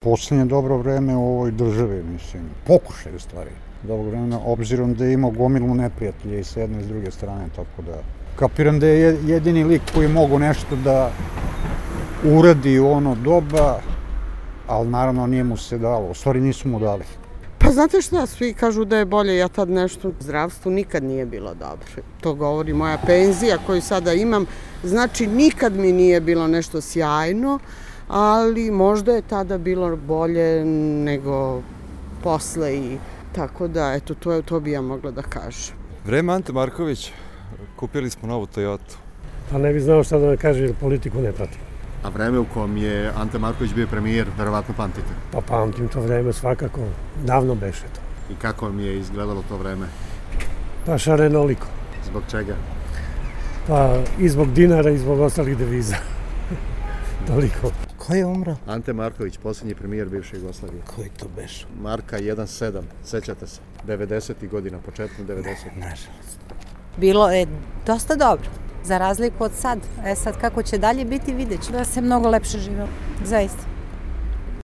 Poslednje dobro vreme u ovoj državi, mislim, pokušaj u stvari. Dobro vreme, obzirom da je imao gomilu neprijatelja i s jedne i s druge strane, tako da kapiram da je jedini lik koji mogu nešto da uradi u ono doba, ali naravno nije mu se dalo, u stvari nisu mu dali. Pa znate šta, svi kažu da je bolje, ja tad nešto u zdravstvu nikad nije bilo dobro. To govori moja penzija koju sada imam, znači nikad mi nije bilo nešto sjajno, ali možda je tada bilo bolje nego posle i tako da, eto, to bi ja mogla da kažem. Vreme Ante Marković, kupili smo novu Toyotu. Pa ne bi znao šta da kaže, jer politiku ne pratim. A vreme u kom je Ante Marković bio premijer, verovatno pamtite? Pa pamtim to vreme svakako, davno beše to. I kako vam je izgledalo to vreme? Pa šarenoliko. Zbog čega? Pa i zbog dinara i zbog ostalih deviza. Toliko. Ko je umro? Ante Marković, posljednji premijer bivše Jugoslavije. Koji to beše? Marka 1.7, sećate se? 90. godina, početkom 90. Nažalost. Bilo je dosta dobro, za razliku od sad. Sad kako će dalje biti, vidjet ću da se mnogo lepše živelo, zaista.